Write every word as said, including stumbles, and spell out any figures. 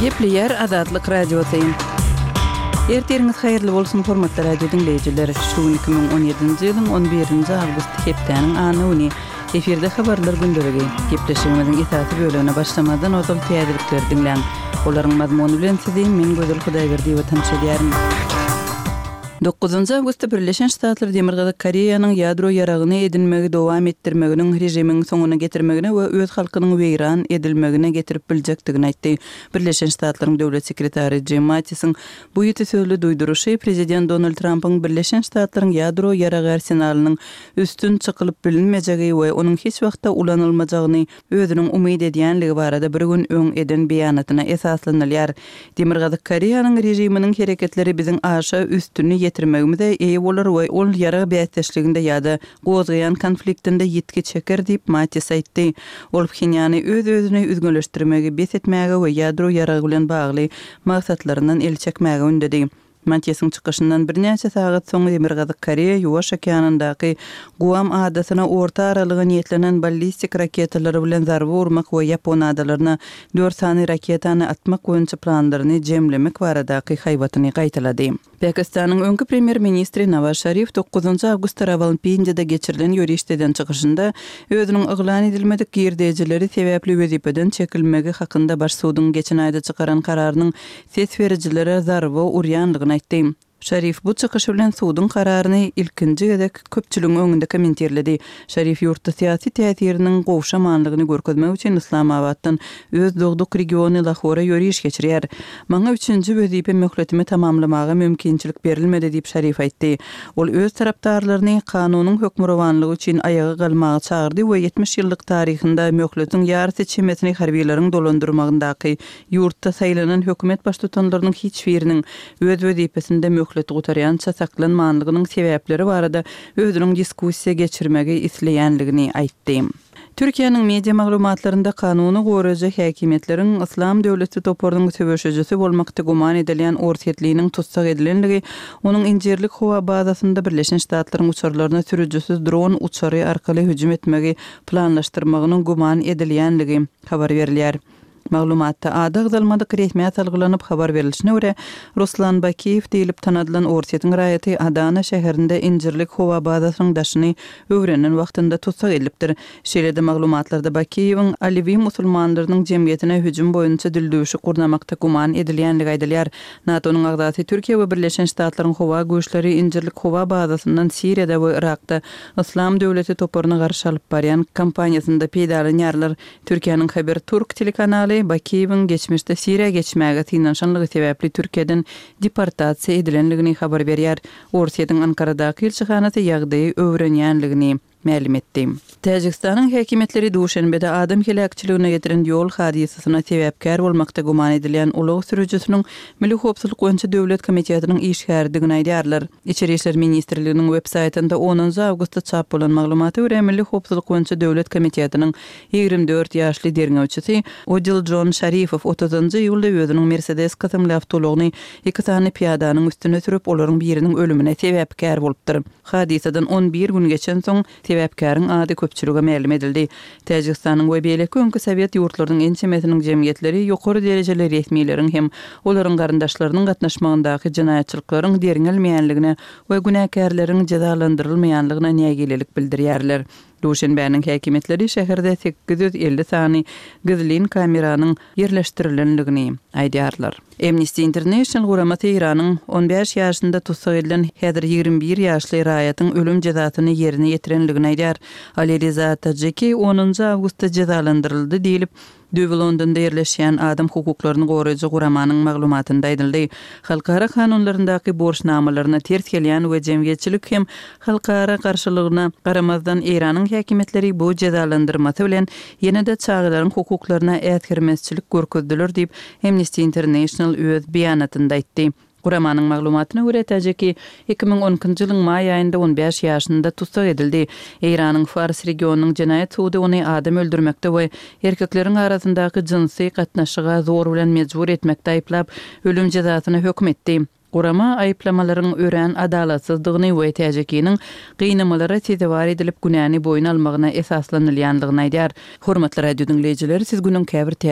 Gepleýär Azatlyk Radiosy. Ertiriňiz haýyrly bolsun, hormatly radio diňleýjiler! Şu gün iki müň on ýedinji ýylyň on birinji awgusty hepdäniň anna güni. Efirde habarlar gündeligi. Gepleşigimiziň esasy bölegine başlamazdan ozal täzelikleri diňläň. Olaryň mazmuny bilen sizi men Gözel Hudaýberdiýewa tanyş edýärin. Dokuzynjy awgustda Birleşen Ştatlar Demirgazyk Koreýanyň ýadro ýaragyny edinmegi dowam etdirmeginiň režimiň soňuna getirmegine we öz halkynyň weýran edilmegine getirip biljekdigini aýtdy. Birleşen Ştatlaryň döwlet sekretary Jim Mattisiň bu ýiti sözli duýduryşy prezident Donald Trampyň Birleşen Ştatlaryň ýadro ýaragy arsenalynyň üstün çykylyp bilinmejegi we onuň hiç wagtda ulanylmajagyny özüniň umyt edýänligi barada bir gün öň eden beýanatyna esaslanylýar. Demirgazyk Koreýanyň režiminiň hereketleri biziň aşa üstüni ýetirmegimize eýe bolar we ol ýarag bäsdeşliginde ýa-da gozgaýan konfliktinde ýitgi çeker diýip, Mattis aýtdy. Ol Phenýany öz-özüni üzňeleşdirmegi bes etmäge we ýadro ýaragy bilen bagly maksatlaryndan el çekmäge ündedi. Mattisiň çykyşyndan birnäçe sagat soň Demirgazyk Koreýa Ýuwaş okeanyndaky Guam adasyna orta aralyga niýetlenen ballistik raketalary bilen zarba urmak we Ýapon adalaryna dört sany raketany atmak boýunça planlaryny jemlemek baradaky haýbatyny gaýtalady. Pakistanyň öňki premýer-ministri Nawaz Şarif dokuzynjy awgustda Rawalpindide geçirilen ýörişde eden çykyşynda özüniň yglan edilmedik girdejileri sebäpli wezipeden çekilmegi hakynda baş suduň geçen aýda çykaran kararynyň ses berijilere zarba urýandygyny aýtdy. Şarif bu çykyşy bilen suduň kararyny ilkinji gezek köpçüligiň öňünde kommentirledi. Şarif ýurtda syýasy täsiriniň gowşamanlygyny görkezmek üçin Yslamabatdan öz dogduk regiony Lahora ýöriş geçirýär. Maňa üçünji wezipe möhletimi tamamlamaga mümkinçilik berilmedi diýip Şarif aýtdy. Ol öz tarapdarlaryny kanunyň hökmürowanlygy üçin aýaga galmaga çagyrdy we ýetmiş ýyllyk taryhynda möhletiň ýarysy çemesini harbiýleriň dolandyrmagyndaky ýurtda saýlanan hökümet baştutanlarynyň hiç biriniň öz wezipesinde möhleti gutarýança saklanmanlygynyň sebäpleri barada özüniň diskussiýa geçirmegi isleýänligini aýtdy. Türkiýäniň media maglumatlarynda kanuny goraýjy häkimiýetleriň Yslam döwleti toparynyň söweşijisi bolmakda güman edilýän Orsýetliniň tussag edilenligi, onuň Injirlik howa bazasynda Birleşen Ştatlaryň uçarlaryna sürüjisiz dron uçary arkaly hüjüm etmegi planlaşdyrmagynyň güman edilýänligi habar berilýär. Maglumatda ady agzalmadyk resmiýet salgylanyp habar berilişine görä, Ruslan Bakiýew diýlip tanadylan Orsýetiň raýaty Adana şäherinde Injirlik howa bazasynyň daşyny öwrenen wagtynda tussag edilipdir. Şeýle-de maglumatlarda Bakiýewiň Alewi musulmanlarynyň jemgyýetine hüjüm boýunça dildüwşük gurnamakda güman edilýänligi aýdylýar. NATO-nyň agzasy Türkiýe we Birleşen Ştatlaryň howa güýçleri Injirlik howa bazasyndan Siriýada we Yrakda Yslam döwleti toparyna garşy alyp barýan kampaniýasynda peýdalanýarlar. Türkiýäniň Haber Turk telekanaly Bakiýewiň geçmişde Siriýa geçmäge synanyşanlygy sebäpli Türkiýeden deportasiýa edilenligini habar berýär. Orsýetiň Ankaradaky ilçihanasy ýagdaýy öwrenýänligini mälim etdi. Täjigistanyň häkimiýetleri Duşenbede adam heläkçiligine getiren ýol hadysasyna sebäpkär bolmakda güman edilýän ulag sürüjisiniň Milli howpsuzlyk boýunça döwlet komitetiniň işgäridigini aýdýarlar. Içeri işler ministrliginiň web saýtynda onunjy awgustda çap bolan maglumata görä, Milli howpsuzlyk boýunça döwlet komitetiniň ýigrimi dört ýaşly derňewçisi Odiljon Şarifow otuzynjy iýulda özüniň Mercedes kysymly awtoulagyny iki sany pyýadanyň üstüne sürüp, olaryň biriniň ölümine sebäpkär bolupdyr. Hadysadan on bir gün geçensoň, sebäpkäriň ady köpçülige mälim edildi. Täjigistanyň we beýleki öňki sowet ýurtlarynyň ençemesiniň jemgyýetleri ýokary derejeli resmileriň hem olaryň garyndaşlarynyň gatnaşmagyndaky jenaýatçylyklaryň derňelmeýänligine we günäkärleriň jezalandyrylmaýanlygyna nägilelik bildirýärler. Duşenbäniň häkimiýetleri şäherde sekiz ýüz elli sany gizlin kameranyň ýerleşdirilendigini aýdýarlar. Amnesty International guramasy Eýranyň on bäş ýaşynda tussag edilen häzir ýigrimi bir ýaşly raýatyň ölüm jezasyny ýerine ýetirendigini aýdýar. Aliriza Tajiki onunjy awgustda jezalandyryldy diýlip, Düýbi Londonda ýerleşýän adam hukuklaryny goraýjy guramanyň maglumatynda aýdyldy. Halkara kanunlaryndaky borçnamalaryna ters gelýän we jemgyýetçilik hem halkara garşylygyna garamazdan Eýranyň häkimiýetleri bu jezalandyrmasy bilen ýene-de çagalaryň hukuklaryna äsgermezçilik görkezdiler diýip, Amnesty International öz beýanatynda aýtdy. Guramanyň maglumatyna görä, Täjiki iki müň on ikinji ýylyň maý aýynda on bäş ýaşynda tussag edildi. Eýranyň Fars regionynyň jenaýat sudy ony adam öldürmekde we erkekleriň arasyndaky jynsy gatnaşyga zor bilen mejbur etmekde aýyplap, ölüm jezasyna höküm etdi. Gurama aýyplamalaryň örän adalatsyzdygyny we Täjikiniň gynamalara sezewar edilip günäni boýun almagyna esaslanylýandygyny aýdýar. Hormatly radio diňleýjiler, siz günüň käbir täze